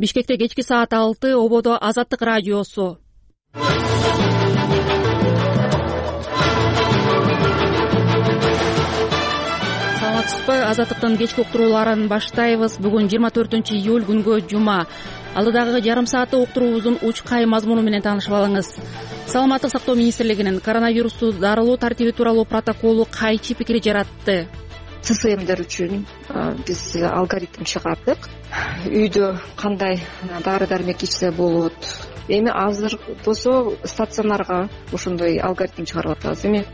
Бишкекте кечки саат 6, ободо Азаттык радиосу. Саламатсызбы? Азаттыктын кечки уктурууларын баштайбыз. Бүгүн 24-июль күнгө жума. Алдыдагы жарым саатта уктуруубуздун учкай мазмуну менен таанышып алыңыз. Саламаттык сактоо министрлигинин коронавирусту дарылоо тартиби тууралуу протоколу кайчы пикир жаратты. ЦСМдер үчүн биз алгоритм чыгардык. Үйдө кандай дары дармек ичсе болот. Эми азыр болсо стационарга ошондой алгоритм чыгарып атабыз. Эми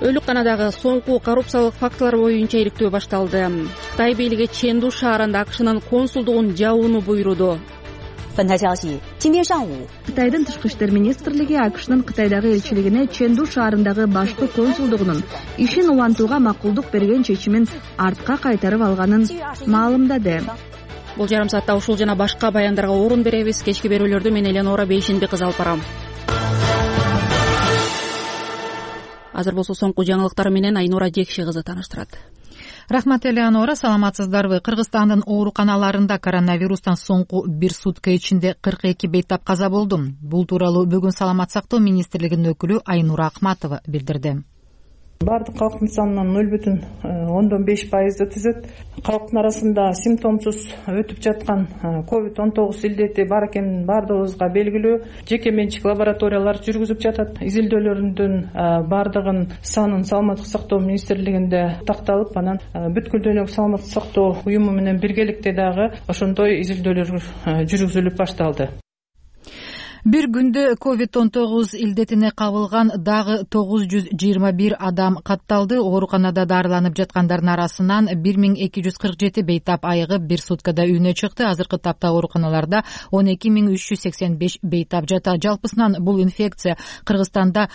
Өлүкканадагы соңку коррупциялык фактылар боюнча иликтөө башталды. Кытай бийлиги Чэнду шаарында АКШнын консулдугун жабууну буйруду. Кытайдын тышкы иштер министрлиги АКШнын Кытайдагы элчилигине Чэнду шаарындагы башкы консулдугунун ишин улантууга макулдук берген чечимин артка кайтарып алганын маалымдады. Бул жарым саатта ушул жана башка баяндарга орун беребиз. Кечки берүүлөрдү мен Эленора Бейшенби кызы алып барам. Азыр болсо соңку жаңылыктар менен Айнура Жекши кызы тааныштырат. Рахмат Элеонора, саламатсыздарбы? Кыргызстандын ооруканаларында коронавирустан соңку бир сутка ичинде 42 бейтап каза болду. Бул тууралуу бүгүн Саламат сактоо министрлигинин өкүлү Айнура Акматова билдирди. Бардык калктын санынан 0,5% түзөт. Калктын арасында симптомсуз өтүп жаткан COVID-19 илдети бар экенин бардыгыбызга белгилүү. Жеке менчик лабораториялар жүргүзүп жатат. Изилдөөлөрдүн бардыгын санын Саламаттык сактоо министрлигинде такталып, анан бүткүл дүйнөлүк саламаттык сактоо уюму менен биргеликте дагы ошондой изилдөөлөр жүргүзүлүп башталды. Бир күндө COVID-19 илдетине кабылган дагы 921 адам катталды. Ооруканада дарыланып жаткандардын арасынан 1247 бейтап айыгып бир суткада үйүнө чыкты. Азыркы тапта ооруканаларда 12385 бейтап жатат. Жалпысынан бул инфекция Кыргызстанда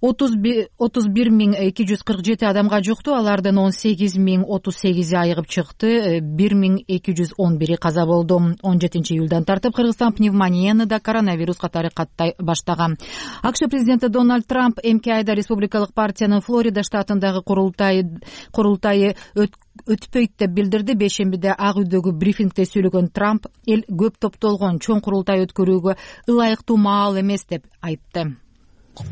31247 адамга жукту. Алардын 18038 айыгып чыкты, 1211 каза болду. 17-июлдан тартып Кыргызстан пневмонияны да коронавирус катары каттай баштаган. АКШ президенти Дональд Трамп эмки айда республикалык партиянын Флорида штатындагы курултайы өтпөйт деп билдирди. Бейшембиде Ак үйдөгү брифингде сөйлөгөн Трамп эл көп топтолгон чоң курултай өткөрүүгө ылайыктуу маал эмес деп айтты. Мен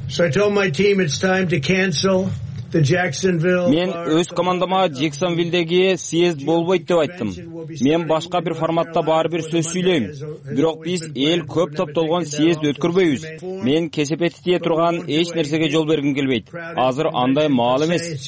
өз командама Джексонвилдеги съезд болбойт деп айттым. Мен башка бир форматта баары бир сөз сүйлөйм. Бирок биз эл көп топтолгон съезд өткөрбөйбүз. Мен кесепети тие турган эч нерсеге жол бергим келбейт. Азыр андай маал эмес.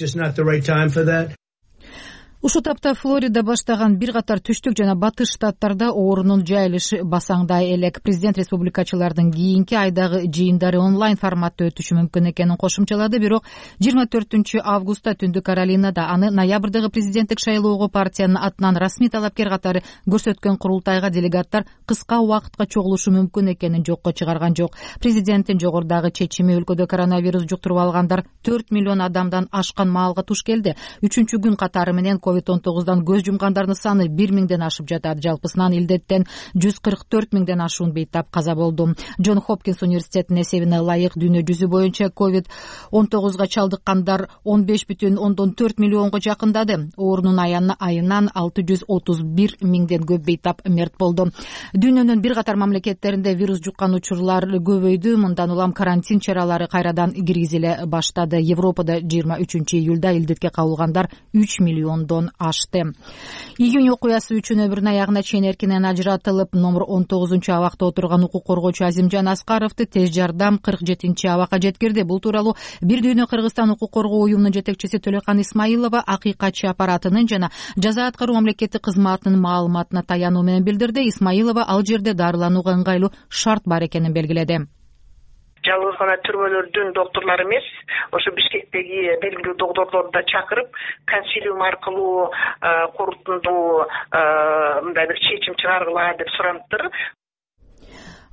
Ушул тапта Флорида баштаган бир катар түштүк жана батыш штаттарда оорунун жайылышы басаңдай элек. Президент республикачылардын кийинки айдагы жыйындары онлайн форматта өтүшү мүмкүн экенин кошумчалады. Бирок 24 августта Түндүк Каролинада аны ноябрдагы президенттик шайлоого партиянын атынан расмий талапкер катары көрсөткөн курултайга делегаттар кыска убакытка чогулушу мүмкүн экенин жокко чыгарган жок. Президенттин жогорудагы чечими өлкөдө коронавирус жуктуруп алгандар 4 миллион адамдан ашкан маалга туш келди. 3-күн катары менен COVID-19дан көз жумгандардын саны 1000ден ашып жатат. Жалпысынан илдеттен 144 миңден ашуун бейтап каза болду. Джон Хопкинс университетинин эсебине ылайык дүйнө жүзү боюнча COVID-19га чалдыккандар 15,4 миллионго жакындады. Оорунун айынан 631 миңден көп бейтап мерт болду. Дүйнөнүн бир катар мамлекеттеринде вирус жуккан учурлар көбөйдү. Мындан улам карантин чаралары кайрадан киргизиле баштады. Европада 23-июлда илдетке кабылгандар 3 миллиондон ашты. Июнь окуясы үчүн өмүрүнүн аягына чейин эркинен ажыратылып, номер 19-абакта отурган укук коргоочу Азимжан Аскаровду тез жардам 47-абакка жеткирди. Бул тууралуу Бир дүйнө Кыргызстан укук коргоо уюмунун жетекчиси Төлөкан Исмаилова акыйкатчы аппаратынын жана жаза аткаруу мамлекеттик кызматынын маалыматына таянуу менен билдирди. Исмаилова ал жерде дарыланууга ыңгайлуу шарт бар экенин белгиледи. Жалгыз гана түрмөлөрдүн докторлору эмес, ошо Бишкектеги белгилүү докторлорду да чакырып, консилиум аркылуу корутундуу мындай бир чечим чыгаргыла деп сураныптыр.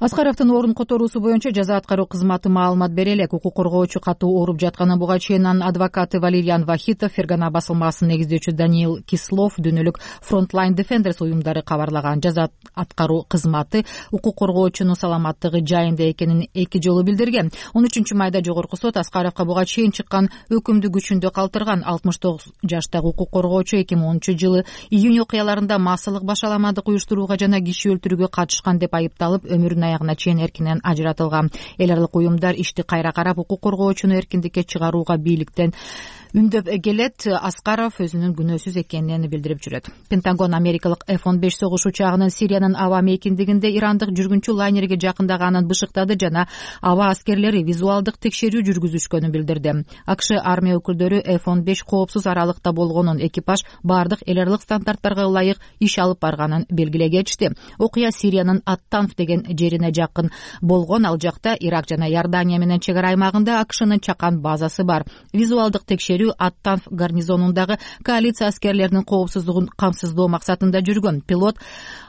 Аскаровдун орун которуусу боюнча жаза аткаруу кызматы маалымат бере элек. Укук коргоочу катуу ооруп жатканын буга чейин анын адвокаты Валерьян Вахитов, Фергана басылмасынын негиздөөчү Даниил Кислов, дүйнөлүк Frontline Defenders уюмдары кабарлаган. Жаза аткаруу кызматы укук коргоочунун саламаттыгы жайында экенин 2 жолу билдирген. 13 майда жогорку сот Аскаровго буга чейин чыккан өкүмдү күчүндө калтырган. 69 жаштагы укук коргоочу 2010 жылы июнь окуяларында массалык башаламандык уюштурууга жана киши өлтүрүүгө катышкан деп айыпталып, өмүрүнүн аягына чейин эркинен ажыратылган. Эл аралык уюмдар ишти кайра карап, укук коргоочуну эркиндикке чыгарууга бийликтен үндөп келет. Аскаров өзүнүн күнөөсүз экенин билдирип жүрөт. Пентагон америкалык F-15 согуш учагынын Сириянын аба мейкиндигинде ирандык жүргүнчү лайнерге жакындаганын бышыктады жана аба аскерлери визуалдык текшерүү жүргүзүшкөнүн билдирди. АКШ армия өкүлдөрү F-15 коопсуз аралыкта болгонун, экипаж баардык эл аралык стандарттарга ылайык иш алып барганын белгилей кетишти. Окуя Сириянын Ат-Танф деген жерине жакын болгон. Ал жакта Ирак жана Иордания менен чек ара аймагында АКШнын чакан базасы бар. Визуалдык текшерүү Ат-Танф гарнизонундагы коалиция аскерлеринин коопсуздугун камсыздоо максатында жүргөн. Пилот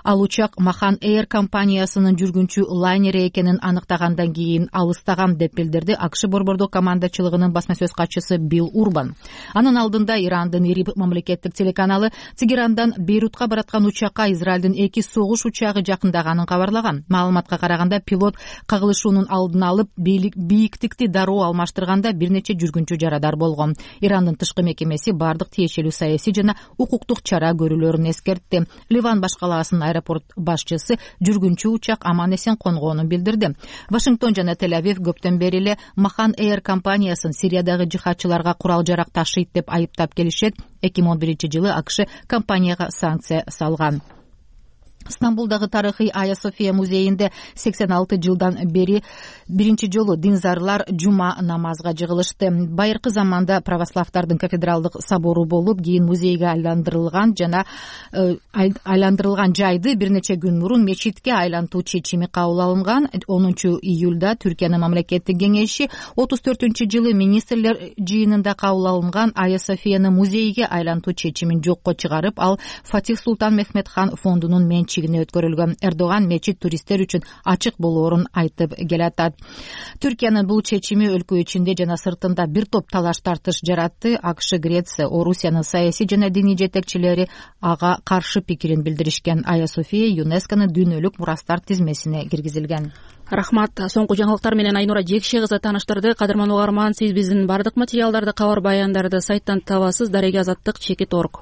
ал учак Махан Air компаниясынын жүргүнчү лайнери экенин аныктагандан кийин алыстаган деп билдирди АКШ борбордук командачылыгынын басма сөз катчысы Билл Урбан. Анын алдында Ирандын ИРИБ мамлекеттик телеканалы Тегерандан Бейрутка бараткан учакка Израилдин 2 согуш учагы жакындаганын кабарлаган. Маалыматка караганда, пилот кагылышуунун алдын алып, бийиктикти дароо алмаштырганда бир нече жүргүнчү жарадар болгон. Ирандын тышкы мекемеси бардык тиешелүү саясий жана укуктук чара көрүүлөрүн эскертти. Ливан баш калаасынын аэропорт башчысы жүргүнчү учак аман эсен конгонун билдирди. Вашингтон жана Тель-Авив көптөн бери эле Махан Air компаниясын Сириядагы жихадчыларга курал жарак ташыйт деп айыптап келишет. 2011 жылы АКШ компанияга санкция салган. Стамбулдагы тарыхый Айя София музейинде 86 жылдан бери биринчи жолу динзарлар жума намазга жыгылышты. Байыркы заманда православдардын кафедралдык собору болуп, кийин музейге айландырылган жайды бир нече күн мурун мечитке айлантуу чечими кабыл алынган. 10 июлда Түркиянын мамлекеттик кеңеши 34 жылы министрлер жыйынында кабыл алынган Айя Софияны музейге айлантуу чечимин жокко чыгарып, ал Фатих Султан Мехмед хан фондунун менчигине өткөрүлгөн. Эрдоган мечит туристтер үчүн ачык болоорун айтып келатат. Түркиянын бул чечими өлкө ичинде жана сыртында бир топ талаш тартыш жаратты. АКШ, Греция, Орусиянын саясий жана диний жетекчилери ага каршы пикирин билдиришкен. Айя София ЮНЕСКОнун дүйнөлүк мурастар тизмесине киргизилген. Рахмат. Соңку жаңылыктар менен Айнура Жекше кызы тааныштырды. Кадырман угарман, сиз биздин бардык материалдарды, кабар баяндарды сайттан табасыз. Дареги Азаттык _org.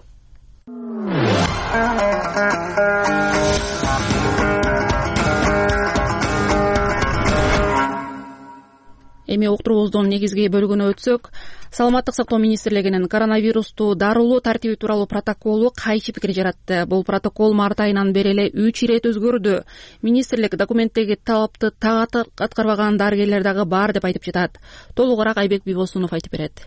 Эми уктуруубуздун негизги бөлүгүнө өтсөк, Саламаттык сактоо министрлигинин коронавирусту дарылоо тартиби тууралуу протоколу кайчы пикир жаратты. Бул протокол март айынан бери эле 3 ирет өзгөрдү. Министрлик документтеги талапты так аткарбаган дарыгерлер дагы бар деп айтып жатат. Толугураак Айбек Бибосунов айтып берет.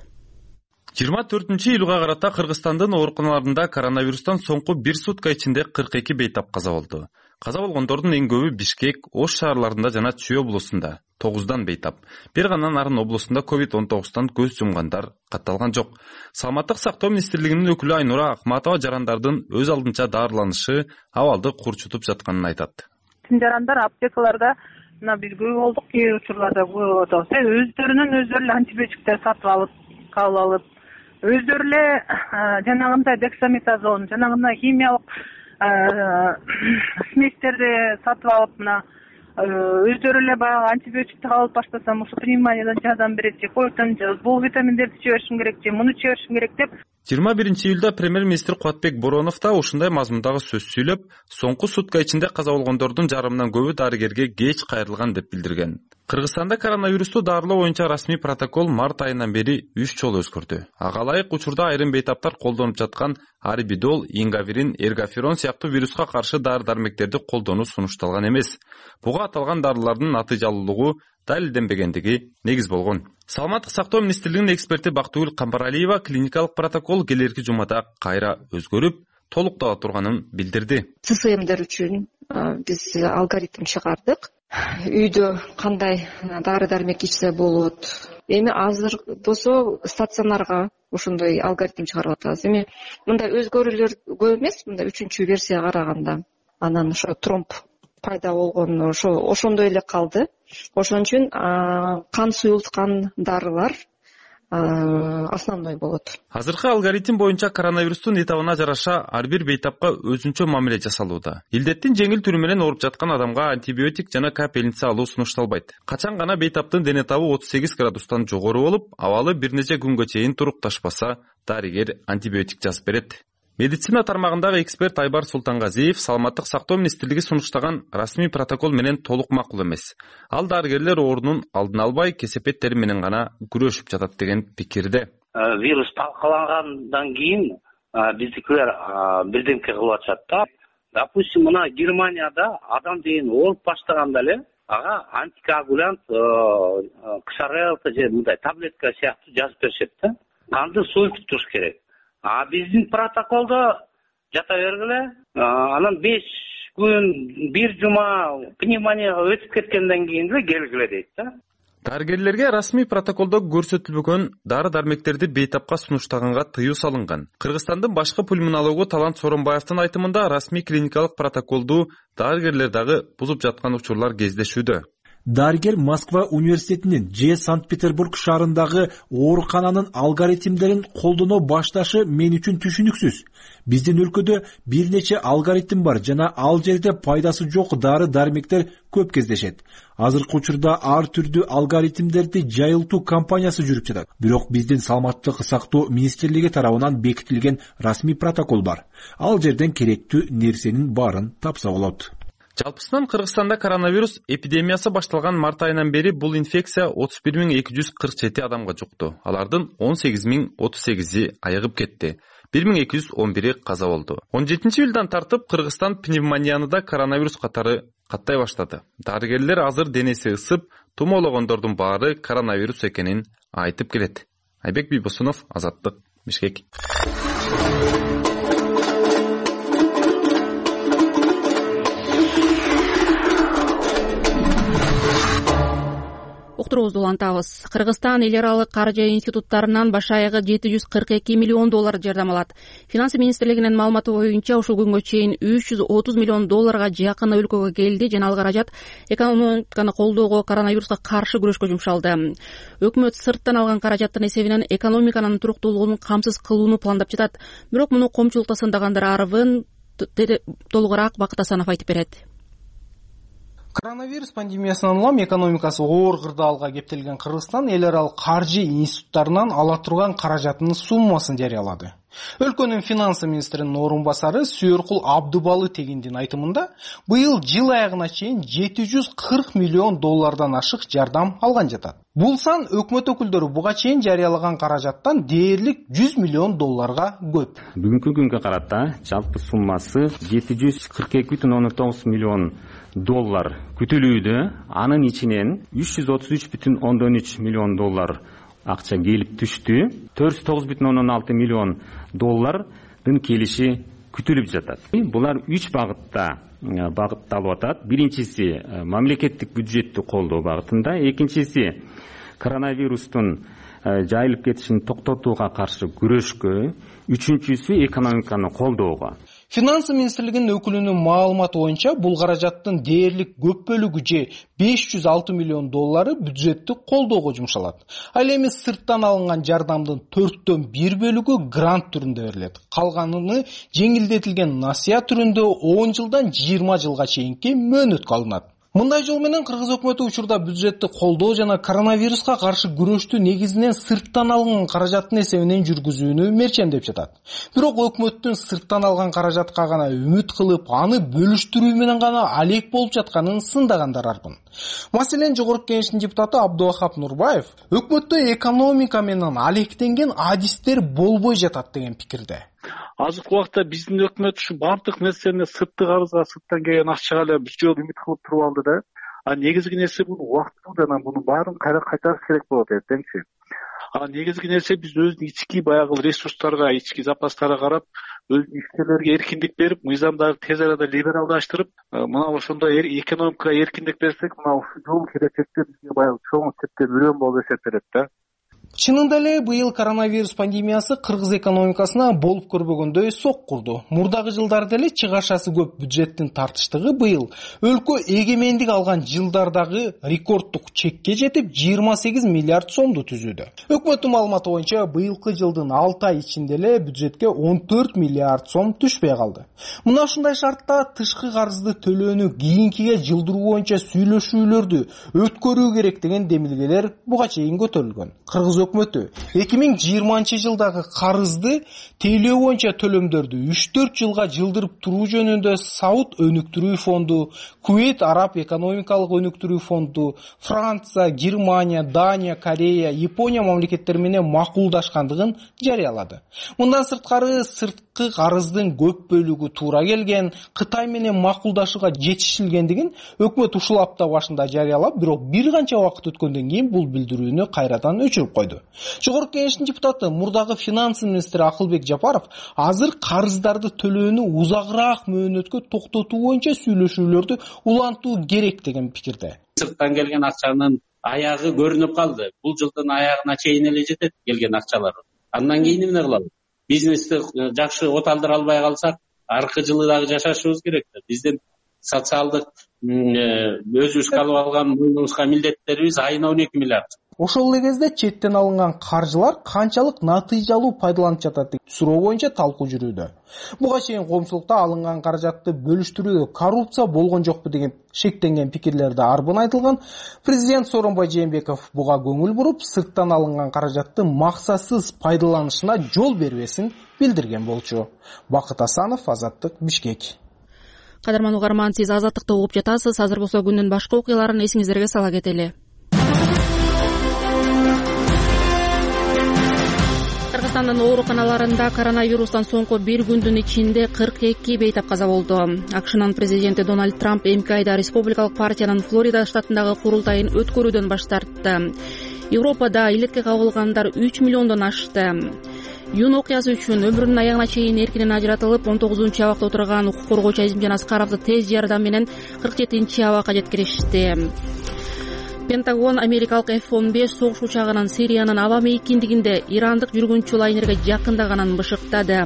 24-июлга карата Кыргызстандын ооруканаларында коронавирустан соңку 1 сутка ичинде 42 бейтап каза болду. Каза болгондордун эң көбү Бишкек, Ош шаарларында жана Чүй облусунда 9 бейтап. Бир гана Нарын облусунда COVID-19 көз жумгандар катталган жок. Саламаттык сактоо министрлигинин өкүлү Айнура Акматова жарандардын өз алдынча даарыланышы абалды курчутуп жатканын айтат. Жарандар аптекаларда биз көп болдук, кээ учурларда көп болуп атабыз. Өздөрүнөн антибиотиктер сатып алып, кабыл алып, өздөрү эле жанагындай дексаметазон, жанагындай химиялык сместерди сатып алып, өздөрү эле баягы антибиотикти кабыл баштасам, ушу пневмониядан жардам берет же, койтон же, бул витаминдерди чыга беришим керек же, муну чыга беришим керек деп. 21-июлда премьер-министр Кубатбек Боронов да ушундай мазмундагы сөз сүйлөп, соңку сутка ичинде каза болгондордун жарымынан көбү дарыгерге кеч кайрылган деп билдирген. Кыргызстанда коронавирусту дарылоо боюнча расмий протокол март айынан бери 3 жолу өзгөрдү. Ага ылайык учурда айрым бейтаптар колдонуп жаткан арбидол, ингавирин, эргаферон сыяктуу вируска каршы дары-дармектерди колдонуу сунушталган эмес. Буга аталган дарылардын натыйжалуулугу далилденбегендиги негиз болгон. Саламаттык сактоо министрлигинин эксперти Бактыгүл Камбаралиева клиникалык протокол келерки жумада кайра өзгөрүп, толуктала турганын билдирди. ЦСМдер үчүн биз алгоритм чыгардык. Үйдө кандай дары-дармек ичсе болот. Эми азыр болсо стационарга ошондой алгоритм чыгарып атабыз. Эми мындай өзгөрүүлөр көп эмес, мындай 3-версияга караганда. Анан ошо тромб пайда болгон ошондой эле калды. Ошон үчүн кан суюлткан дарылар основной болот. Азыркы алгоритм боюнча коронавирустун этабына жараша ар бир бейтапка өзүнчө мамиле жасалууда. Илдеттин жеңил түрү менен ооруп жаткан адамга антибиотик жана капельница алуу сунушталбайт. Качан гана бейтаптын дене табы 38 градустан жогору болуп, абалы бир нече күнгө чейин турукташпаса, дарыгер антибиотик жазып берет. Медицина тармагындагы эксперт Айбар Султангазиев Саламаттык сактоо министрлиги сунуштаган расмий протокол менен толук макул эмес. Ал дарыгерлер оорунун алдын албай, кесепеттери менен гана күрөшүп жатат деген пикирде. Вирус талкалангандан кийин биздикилер бирдемке кылып атышат да. Допустим, мына Германияда адам деген ооруп баштаганда эле ага антикоагулянт ксарелта же мындай таблетка сыяктуу жазып беришет да. Канды союп туруш керек. Биздин протоколдо жата бергиле, анан 5 күн, 1 жума пневмонияга өтүп кеткенден кийин эле келгиле дейт да. Дарыгерлерге расмий протоколдо көрсөтүлбөгөн дары-дармектерди бейтапка сунуштаганга тыюу салынган. Кыргызстандын башкы пульмонологу Талант Соронбаевдин айтымында расмий клиникалык протоколду дарыгерлер дагы бузуп жаткан учурлар кездешүүдө. Дарыгер Москва университетинин же Санкт-Петербург шаарындагы оорукананын алгоритмдерин колдоно башташы мен үчүн түшүнүксүз. Биздин өлкөдө бир нече алгоритм бар жана ал жерде пайдасы жок дары-дармектер көп кездешет. Азыркы учурда ар түрдүү алгоритмдерди жайылтуу кампаниясы жүрүп жатат. Бирок биздин Саламаттык сактоо министрлиги тарабынан бекитилген расмий протокол бар. Ал жерден керектүү нерсенин баарын тапса болот. Жалпысынан Кыргызстанда коронавирус эпидемиясы башталган март айынан бери бул инфекция 31247 адамга жукту. Алардын 18038и айыгып кетти. 1211 каза болду. 17-июлдан тартып Кыргызстан пневмонияны да коронавирус катары каттай баштады. Дарыгерлер азыр денеси ысып, тумоологондордун баары коронавирус экенин айтып келет. Айбек Бийбосунов, Азаттык, Бишкек. Уктуруубузду улантабыз. Кыргызстан эл аралык каржы институттарынан баш аягы $742 миллион жардам алат. Финансы министрлигинин маалыматы боюнча ушул күнгө чейин $330 миллион жакын өлкөгө келди жана ал каражат экономиканы колдоого, коронавируска каршы күрөшкө жумшалды. Өкмөт сырттан алган каражаттын эсебинен экономиканын туруктуулугун камсыз кылууну пландап жатат. Бирок муну коомчулукта сындагандыр арыбын толугураак Бакыт Асанов айтып берет. Коронавирус пандемиясынан улам экономикасы оор кырдаалга кептелген Кыргызстан эл аралык каржы институттарынан ала турган каражатынын суммасын жарыялады. Өлкөнүн финансы министринин орун басары Сүйөркул Абдубалы Тегиндин айтымында быйыл жыл аягына чейин $740 миллион ашык жардам алган жатат. Бул сан өкмөт өкүлдөрү буга чейин жарыялаган каражаттан дээрлик $100 миллион көп. Бүгүнкү күнгө карата жалпы суммасы $742,9 миллион күтүлүүдө. Анын ичинен $333,3 миллион акча келип түштү. $409,6 миллион келиши күтүлүп жатат. Булар 3 багытта багытталып атат. Биринчиси мамлекеттик бюджетти колдоо багытында, экинчиси коронавирустун жайылып кетишин токтотууга каршы күрөшкө, үчүнчүсү экономиканы колдоого. Финансы министрлигинин өкүлүнүн маалыматы боюнча бул каражаттын дээрлик көп бөлүгү же $506 миллион бюджеттик колдоого жумшалат. Ал эми сырттан алынган жардамдын 1/4 бөлүгү грант түрүндө берилет. Калганын жеңилдетилген насыя түрүндө 10 жылдан 20 жылга чейинки мөөнөткө алынат. Мындай жол менен Кыргыз өкмөтү учурда бюджетти колдоо жана коронавируска каршы күрөштү негизинен сырттан алынган каражаттын эсебинен жүргүзүүнү мерчемдеп жатат. Бирок өкмөттүн сырттан алган каражатка гана үмүт кылып, аны бөлүштүрүү менен гана алек болуп жатканын сындагандар арбын. Маселен, Жогорку Кеңештин депутаты Абдувахап Нурбаев өкмөттө экономика менен алектенген адистер болбой жатат деген пикирде. Азыркы убакта биздин өкмөт ушу бардык нерсени сырттык арызга, сырттан келген акчага эле бир жолу үмүт кылып туруп алды да. Негизги нерсе бул убактылуу жана муну баарын кайра кайтарыш керек болот эртеңчи. Негизги нерсе биз өзүнүн ички баягы ресурстарга, ички запастарга карап, ишкерлерге эркиндик берип, мыйзамдарды тез арада либералдаштырып, мына ошондой экономикага эркиндик берсек, мына ушул жол келечекте бизге баягы чоң септеп үрөн болуп эсептелет да. Чынында эле быйыл коронавирус пандемиясы кыргыз экономикасына болуп көрбөгөндөй сок курду. Мурдагы жылдарда эле чыгашасы көп бюджеттин тартыштыгы быйыл өлкө эгемендик алган жылдардагы рекорддук чекке жетип 28 миллиард сомду түзүүдө. Өкмөттүн маалыматы боюнча быйылкы жылдын 6 ай ичинде эле бюджетке 14 миллиард сом түшпөй калды. Мына ушундай шартта тышкы карызды төлөөнү кийинкиге жылдыруу боюнча сүйлөшүүлөрдү өткөрүү керек деген демилгелер буга чейин көтөрүлгөн. Кыргыз өкмөтү 2020 жылдагы карызды тейлөө боюнча төлөмдөрдү 3-4 жылга жылдырып туруу жөнүндө Сауд өнүктүрүү фонду, Кувейт Араб экономикалык өнүктүрүү фонду, Франция, Германия, Дания, Корея, Япония мамлекеттери менен макулдашкандыгын жарыялады. Мындан сырткары сырткы карыздын көп бөлүгү туура келген, Кытай менен макулдашууга жетишилгендигин өкмөт ушул апта башында жарыялап, бирок бир канча убакыт өткөндөн кийин бул билдирүүнү кайрадан өчүрүп койду. Жогорку кеңештин депутаты, мурдагы финанс министри Акылбек Жапаров азыр карыздарды төлөөнү узагыраак мөөнөткө токтотуу боюнча сүйлөшүүлөрдү улантуу керек деген пикирде. Сырттан келген акчанын аягы көрүнүп калды. Бул жылдын аягына чейин эле жетет келген акчалар. Андан кийин эмне кылалы? Бизнести жакшы оталдыра албай калсак, аркы жылы дагы жашашыбыз керек. Биздин социалдык өзүбүз алып алган мойнубузга милдеттерибиз айына 12 миллиард. Ошол эле кезде четтен алынган каржылар канчалык натыйжалуу пайдаланып жатат деген суроо боюнча талкуу жүрүүдө. Буга чейин коомчулукта алынган каражатты бөлүштүрүүдө коррупция болгон жокпу деген шектенген пикирлерди арбын айтылган. Президент Сооронбай Жээнбеков буга көңүл буруп, сырттан алынган каражатты максатсыз пайдаланышына жол бербесин билдирген болчу. Бакыт Асанов, Азаттык, Бишкек. Кадырман угарман, сиз Азаттыкты угуп жатасыз. Азыр болсо күндүн башка окуяларын эсиңиздерге сала кетели. Кыргызстандын ооруканаларында коронавирустан соңку бир күндүн ичинде 42 бейтап каза болду. АКШнын президенти Дональд Трамп эмки айда республикалык партиянын Флорида штатындагы курултайын өткөрүүдөн баш тартты. Европада илетке кабылгандар 3 миллиондон ашты. Юн окуясы үчүн өмүрүнүн аягына чейин эркинен ажыратылып, 19-абакта отурган укук коргоочу Азимжан Аскаровду тез жардам менен 47-абакка жеткиришти. Пентагон америкалык F-15 согуш учагынын Сириянын аба мейкиндигинде ирандык жүргүнчү лайнерге жакындаганын бышыктады.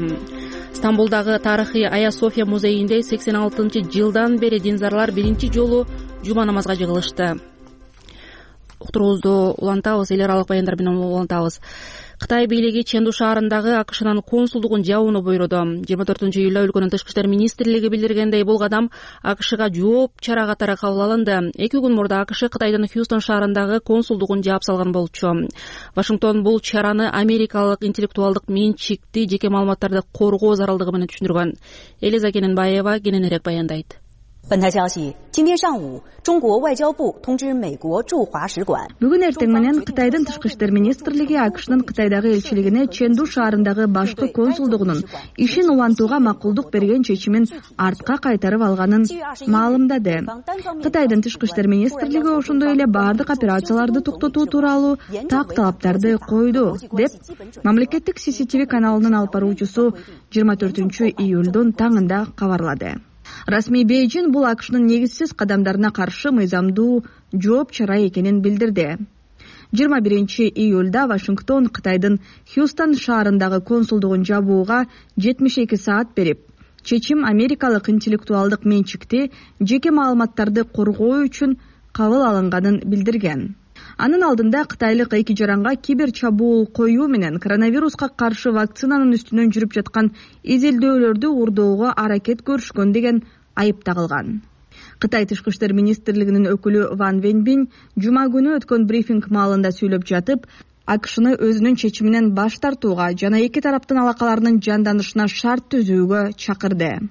Стамбулдагы тарыхый Ая София музейинде 86-жылдан бери динзарлар биринчи жолу жума намазга жыгылышты. Уктуруубузду улантабыз, эл аралык баяндар менен улантабыз. Кытай бийлиги Ченду шаарындагы АКШнын консулдугун жабууну буйруду. 24-июлда өлкөнүн тышкы иштер министрлиги билдиргендей, бул кадам АКШга жооп чара катары кабыл алынды. 2 күн мурда АКШ Кытайдын Хьюстон шаарындагы консулдугун жаап салган болчу. Вашингтон бул чараны америкалык интеллектуалдык менчикти жеке маалыматтарды коргоо зарылдыгы менен түшүндүргөн. Элиза Кененбаева кененирээк баяндайт. 本台消息，今天上午，中国外交部通知美国驻华使馆。 Бүгүн эртең менен Кытайдын тышкы иштер министрлиги АКШнын Кытайдагы элчилигине Ченду шаарындагы башкы консулдугунун ишин улантууга макулдук берген чечимин артка кайтарып алганын маалымдады. Кытайдын тышкы иштер министрлиги ошондой эле бардык операцияларды токтотуу тууралуу так талаптарды койду, деп мамлекеттик CCTV каналынын алып баруучусу 24-июлдун таңында кабарлады. Расмий Бейжин бул АКШнын негизсиз кадамдарына каршы мыйзамдуу жооп чара экенин билдирди. 21-июлда Вашингтон Кытайдын Хьюстон шаарындагы консулдугун жабууга 72 саат берип, чечим америкалык интеллектуалдык менчикти жеке маалыматтарды коргоо үчүн кабыл алынганын билдирген. Анын алдында кытайлык эки жаранга кибер чабуул коюу менен коронавируска каршы вакцинанын үстүнөн жүрүп жаткан изилдөөлөрдү урдоого аракет көрүшкөн деген айып тагылган. Кытай тышкы иштер министрлигинин өкүлү Ван Венбин жума күнү өткөн брифинг маалында сүйлөп жатып, АКШны өзүнүн чечиминен баш тартууга жана эки тараптын алакаларынын жанданышына шарт түзүүгө чакырды.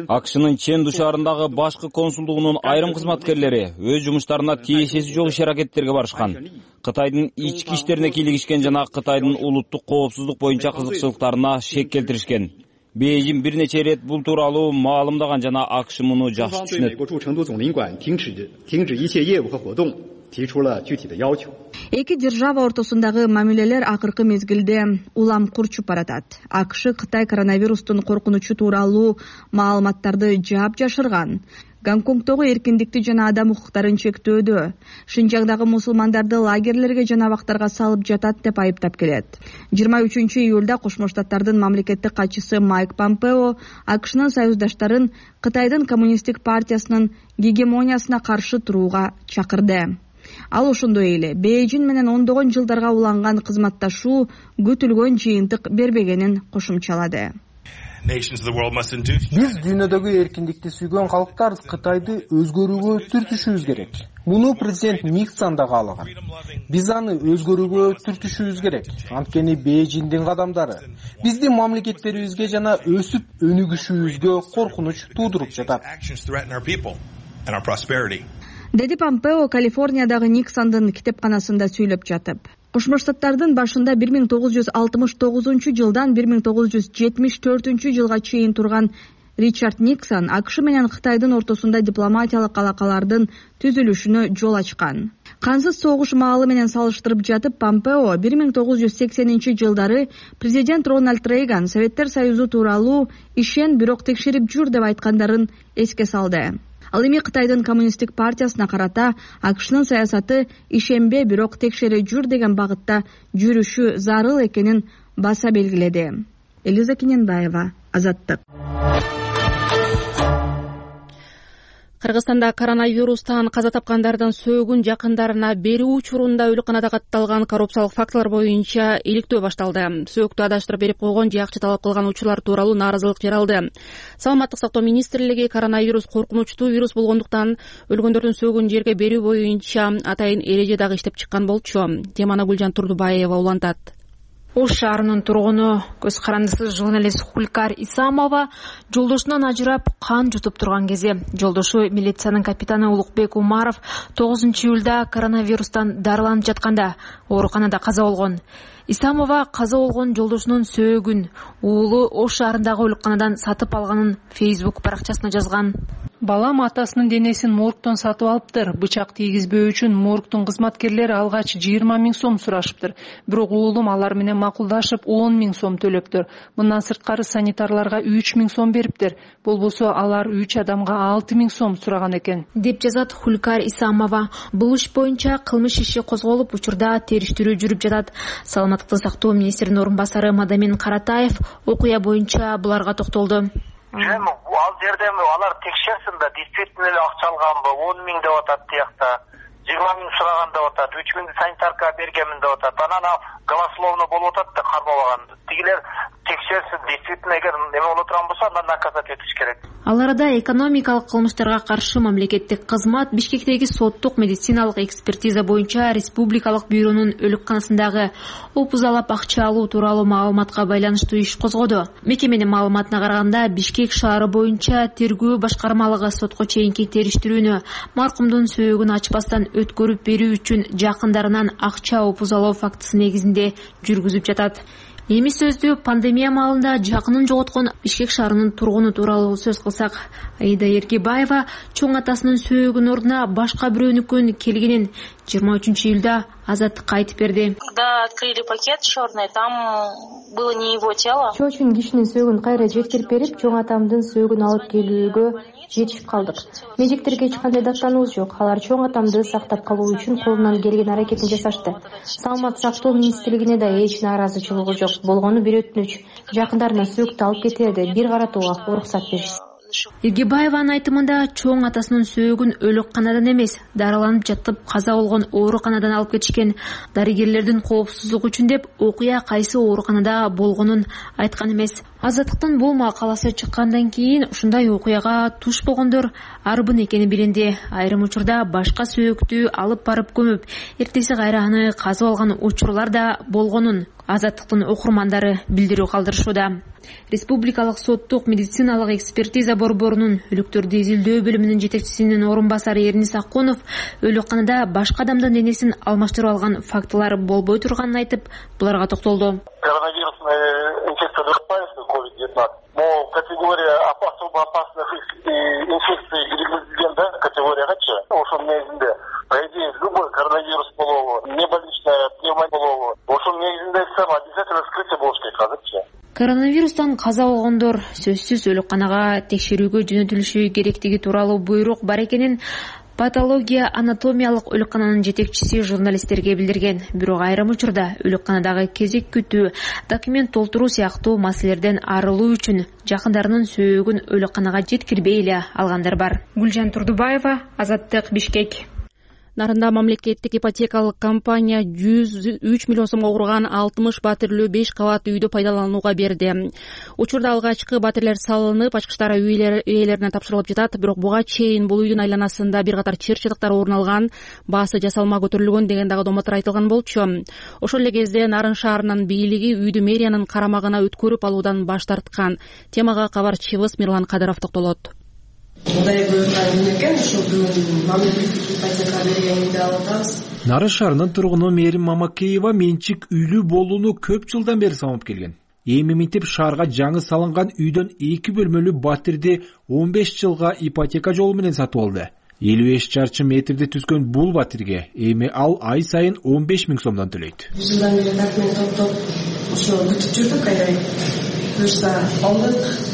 АКШнын Ченду шаарындагы башкы консулдугунун айрым кызматкерлери өз жумуштарына тиешеси жок иш-аракеттерге барышкан. Кытайдын ички иштерине кийлигишкен жана Кытайдын улуттук коопсуздук боюнча кызыкчылыктарына шек келтиришкен. Бейжин бир нече ирет бул тууралуу маалымдаган жана АКШ муну жакшы түшүнөт. Эки держава ортосундагы мамилелер акыркы мезгилде улам курчуп баратат. АКШ Кытай коронавирустун коркунучу тууралуу маалыматтарды жаап жашырган. Гонконгдогу эркиндикти жана адам укуктарын чектөөдө, Шинжаңдагы мусулмандарды лагерлерге жана абактарга салып жатат деп айыптап келет. 23-июлда Кошмо Штаттардын мамлекеттик катчысы Майк Помпео АКШнын союздаштарын Кытайдын коммунисттик партиясынын гегемониясына каршы турууга чакырды. Ал ошондой эле Бейжин менен ондогон жылдарга уланган кызматташуу күтүлгөн жыйынтык бербегенин кошумчалады. Биз дүйнөдөгү эркиндикти сүйгөн калктар Кытайды өзгөрүүгө түртүшүбүз керек. Муну президент Никсон да каалаган. Биз аны өзгөрүүгө түртүшүбүз керек. Анткени Бейжиндин кадамдары биздин мамлекеттерибизге жана өсүп өнүгүшүбүзгө коркунуч туудуруп жатат. Деди Помпео Калифорниядагы Никсондун китепканасында сүйлөп жатып. Кошмо Штаттардын башында 1969 жылдан 1974 жылга чейин турган Ричард Никсон АКШ менен Кытайдын ортосунда дипломатиялык алакалардын түзүлүшүнө жол ачкан. Кансыз согуш маалы менен салыштырып жатып, Помпео 1980 жылдары президент Рональд Рейган Советтер Союзу тууралуу ишен, бирок текшерип жүр деп айткандарын эске салды. Ал эми Кытайдын коммунисттик партиясына карата АКШнын саясаты ишенбе, бирок текшере жүр деген багытта жүрүшү зарыл экенин баса белгиледи. Элиза Кененбаева, Азаттык. Кыргызстанда коронавирустан каза тапкандардын сөөгүн жакындарына берүү учурунда өлүкканада катталган коррупциялык фактылар боюнча иликтөө башталды. Сөөктү адаштырып берип койгон же акча талап кылган учурлар тууралуу нааразылык жаралды. Саламаттык сактоо министрлиги коронавирус коркунучтуу вирус болгондуктан өлгөндөрдүн сөөгүн жерге берүү боюнча атайын эреже дагы иштеп чыккан болчу. Теманы Гүлжан Турдубаева улантат. Ош шаарынын тургуну, көз карандысыз журналист Хулькар Исамова жолдошунан ажырап кан жутуп турган кези жолдошу милициянын капитаны Улукбек Умаров 9-июлда коронавирустан дарыланып жатканда ооруканада каза болгон. Исамова каза болгон жолдошунун сөөгүн уулу Ош шаарындагы өлүкканадан сатып алганын Facebook баракчасына жазган. Балам атасынын денесин моргтон сатып алыптыр. Бычак тийгизбөө үчүн моргтун кызматкерлери алгач 20 000 сом сурашыптыр. Бирок уулум алар менен макулдашып 10 000 сом төлөптүр. Мындан сырткары санитарларга 3 000 сом бериптир. Болбосо алар 3 адамга 6 000 сом сураган экен, деп жазат Хулькар Исамова. Бул иш боюнча кылмыш иши козголуп, учурда териштирүү жүрүп жатат. Саламаттыкты сактоо министринин орун басары Мадамин Каратаев окуя боюнча буларга токтолду. Ал жерде алар текшерсин да, действительно эле акча алганбы, 10 000 деп атат тиякта, 20 000 сураган деп атат, 3 000 санитарка бергенмин деп атат. Анан голословно болуп атат да кармабаган. Тигилер текшерсин, действительно эгер эме боло турган болсо, андан наказать этиш керек. Ал арада экономикалык кылмыштарга каршы мамлекеттик кызмат Бишкектеги соттук медициналык экспертиза боюнча республикалык бюронун өлүкканасындагы опузалап акча алуу тууралуу маалыматка байланыштуу иш козгоду. Мекеменин маалыматына караганда, Бишкек шаары боюнча тергөө башкармалыгы сотко чейинки териштирүүнү маркумдун сөөгүн ачпастан өткөрүп берүү үчүн жакындарынан акча опузалоо фактысы негизинде жүргүзүп жатат. Эми сөздү пандемия маалында жакынын жоготкон Бишкек шаарынын тургуну тууралуу сөз кылсак, Аида Эркибаева чоң атасынын сөөгүнүн ордуна башка бирөөнүкүн келгенин 23-июлда Азаттыкка айтып берди. Когда открыли пакет черный, там было не его тело. Чоочун кишинин сөөгүн кайра жеткирип берип, чоң атамдын сөөгүн алып келүүгө жетишип калдык. Медиктерге эч кандай даттануубуз жок. Алар чоң атамды сактап калуу үчүн колунан келген аракетин жасашты. Саламат сактоо министрлигине да эч нааразычылыгы жок. Болгону бир өтүнүч. Жакындарына сөөктү алып кетерде бир каратууга уруксат беришсин. Эргебаеванын айтымында чоң атасынын сөөгүн өлүкканадан эмес, дарыланып жатып каза болгон ооруканадан алып кетишкен. Дарыгерлердин коопсуздугу үчүн деп окуя кайсы ооруканада болгонун айткан эмес. Азаттыктын бул макаласы чыккандан кийин ушундай окуяга туш болгондор арбын экени билинди. Айрым учурда башка сөөктү алып барып көмүп, эртеси кайра аны казып алган учурлар да болгонун Азаттыктын окурмандары билдирүү калтырышууда. Республикалык соттук медициналык экспертиза борборунун өлүктөрдү изилдөө бөлүмүнүн жетекчисинин орун басары Эрнис Акунов өлүкканада башка адамдын денесин алмаштырып алган фактылар болбой турганын айтып, буларга токтолду. Коронавирусная инфекция COVID-19, но категория особо опасных инфекций киргизилген да категориягачы. Ошонун негизинде, по идее, любой коронавирус болобу, небольничная пневмония болобу, ошонун негизинде айтсам, обязательно вскрытие болуш керек азырчы. Коронавирустан каза болгондор сөзсүз өлөкканага текшерүүгө жөнөтүлүшү керектиги тууралуу буйрук бар экенин патология анатомиялык өлөккананын жетекчиси журналисттерге билдирген. Бирок айрым учурда өлөкканадагы кезек күтүү, документ толтуруу сыяктуу маселелерден арылуу үчүн жакындарынын сөөгүн өлөкканага жеткирбей эле алгандар бар. Гүлжан Турдубаева, Азаттык, Бишкек. Нарында мамлекеттик ипотекалык компания 103 миллион сомго курган 60 батирлүү 5 кабат үйдү пайдаланууга берди. Учурда алгачкы батирлер салынып, ачкыч ээлерине тапшырылып жатат, бирок буга чейин бул үйдүн айланасында бир катар чыр-чатактар орун алган, баасы жасалма көтөрүлгөн деген дагы доматтар айтылган болчу. Ошол эле кезде Нарын шаарынын бийлиги үйдү мэриянын карамагына өткөрүп алуудан баш тарткан. Темага кабарчыбыз Мирлан Кадыров токтолот. Нарын шаарынын тургуну Мээрим Мамакеева менчик үйлүү болууну көп жылдан бери самып келген. Эми минтип шаарга жаңы салынган үйдөн 2 бөлмөлүү батирди 15 жылга ипотека жолу менен сатып алды. 55 чарчы метрди түзгөн бул батирге эми ал ай сайын 15 миң сомдон төлөйт. Жылдан бери документ топтоп ошо күтүп жүрдүк, айдай буюрса алдык.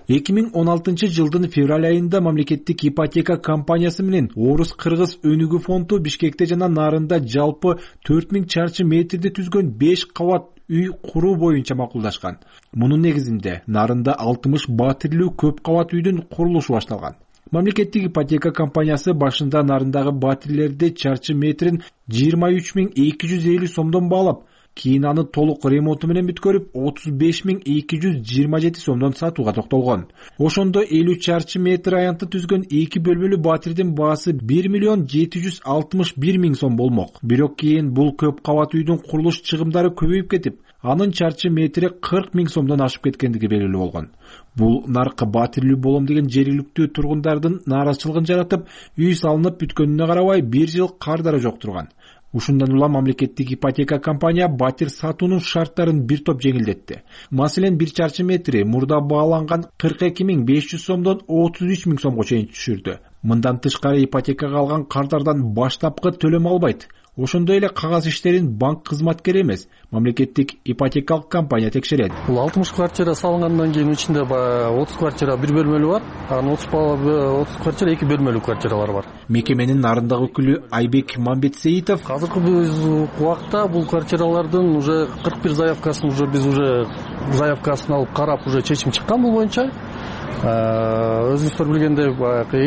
2016 жылдын февраль айында мамлекеттик ипотека компаниясы менен Орус-Кыргыз өнүгүү фонду Бишкекте жана Нарында жалпы 4000 чарчы метрди түзгөн 5 кабат үй куруу боюнча макулдашкан. Мунун негизинде Нарында 60 батирлүү көп кабат үйдүн курулушу башталган. Мамлекеттик ипотека компаниясы башында Нарындагы батирлерди чарчы метрин 23250 сомдон баалап, кийин аны толук ремонту менен бүткөрүп 35227 сомдон сатууга токтолгон. Ошондо 50 чарчы метр аянтты түзгөн 2 бөлмөлүү батирдин баасы 1 миллион 761 миң сом болмок. Бирок кийин бул көп кабат үйдүн курулуш чыгымдары көбөйүп кетип, анын чарчы метри 40 миң сомдон ашып кеткендиги белгилүү болгон. Бул наркы батирлүү болом деген жергиликтүү тургундардын нааразычылыгын жаратып, үй салынып бүткөнүнө карабай 1 жыл кардары жок турган. Ушундан улам мамлекеттик ипотека компания батир сатуунун шарттарын бир топ жеңилдетти. Маселен, 1 чарчы метри мурда бааланган 42500 сомдон 33 миң сомго чейин түшүрдү. Мындан тышкары ипотекага алган кардардан баштапкы төлөм албайт. Ошондой эле кагаз иштерин банк кызматкери эмес, мамлекеттик ипотекалык компания текшерет. Бул 60 квартира салынгандан кийин ичинде 30 квартира 1 бөлмөлүү бар, анан 30 квартира 2 бөлмөлүү квартиралар бар. Мекеменин Нарындагы өкүлү Айбек Мамбетсеитов: Азыркы убакта бул квартиралардын уже 41 заявкасын биз заявкасын алып карап, уже чечим чыккан бул боюнча. Өзүңүздөр билгендей,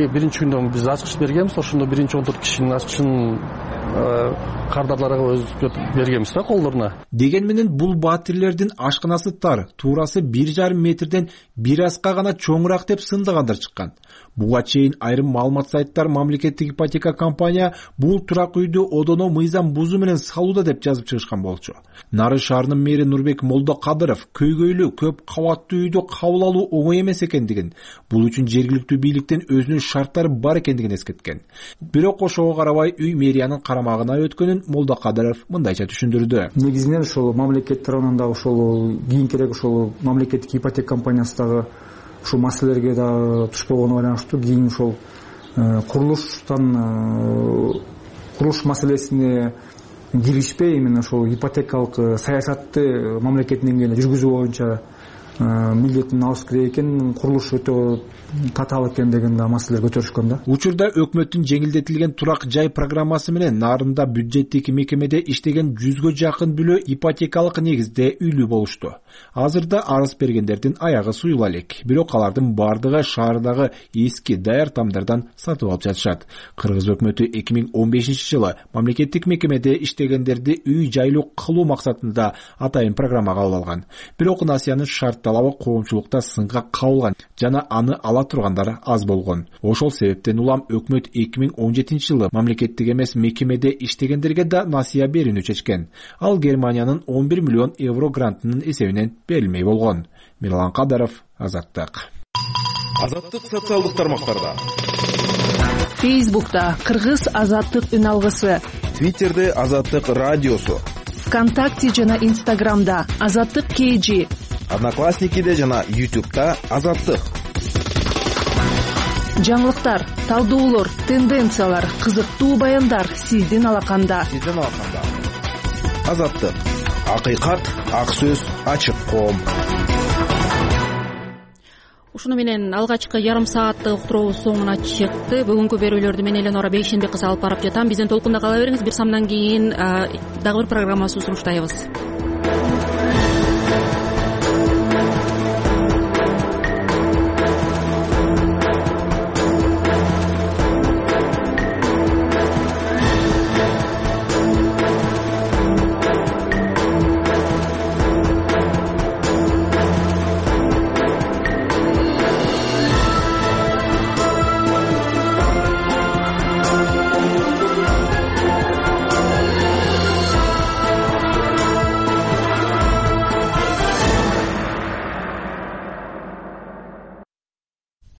биринчи күндө биз ачкыч бергенбиз, ошондо 14 кишинин ачкычын кардарларга өзгөтүп бергенбиз да колдоруна. Деген менен бул батирлердин ашканасы тар, туурасы 1,5 метрден бир аска гана чоңураак деп сындагандар чыккан. Буга чейин айрым маалымат сайттар мамлекеттик ипотека компания бул турак үйдү одоно мыйзам бузуу менен салууда деп жазып чыгышкан болчу. Нарын шаарынын мэри Нурбек Молдокадыров көйгөйлүү көп кабаттуу үйдү кабыл алуу оңой эмес экендигин, бул үчүн жергиликтүү бийликтен өзүнүн шарттары бар экендигин эскерткен. Бирок ошого карабай үй мэриянын карамагына өткөнүн Молдокадыров мындайча түшүндүрдү. Негизинен ошол мамлекет тарабынан дагы ошол кийинкерээк ошол мамлекеттик ипотека компаниясы дагы ушул маселелерге да түшпөгөнү байланыштуу кийин ошол курулуш маселесине киришпей, именно ошол ипотекалык саясатты мамлекеттин деңгээлинде жүргүзүү боюнча милдетин алыш керек экен, курулуш өтө татаал экен деген маселелер көтөрүшкөн да. Учурда өкмөттүн жеңилдетилген турак жай программасы менен Нарында бюджеттик мекемеде иштеген 100гө жакын бүлө ипотекалык негизде үйлүү болушту. Азырда арыз бергендердин аягы суюла элек. Бирок алардын бардыгы шаардагы эски даяр тамдардан сатып алып жатышат. Кыргыз өкмөтү 2015 жылы мамлекеттик мекемеде иштегендерди үй жайлуу кылуу максатында атайын программага алып алган. Бирок насыянын шарт талабы коомчулукта сынга кабылган жана аны ала тургандар аз болгон. Ошол себептен улам өкмөт 2017 жылы мамлекеттик эмес мекемеде иштегендерге да насыя берүүнү чечкен. Ал Германиянын 11 миллион евро грантынын эсебинен берилмей болгон. Мирлан Кадыров, Азаттык. Азаттык социалдык тармактарда. Фейсбукта Кыргыз Азаттык үн алгысы. Твиттерде Азаттык радиосу. ВКонтакте жана Инстаграмда Азаттык KG. Одноклассникиде жана YouTube'да Азаттык. Жаңылыктар, талдоолор, тенденциялар, кызыктуу баяндар сиздин алаканда. Азаттык. Акыйкат, ак сөз, ачык коом. ушуну менен алгачкы жарым сааттык уктуруубуз соңуна чыкты. Бүгүнкү берүүлөрдү мен Эленора Бейшенбек кызы алып барып жатам. Бизден толкунда кала бериңиз. Бир самдан кийин дагы бир программабызды сунуштайбыз.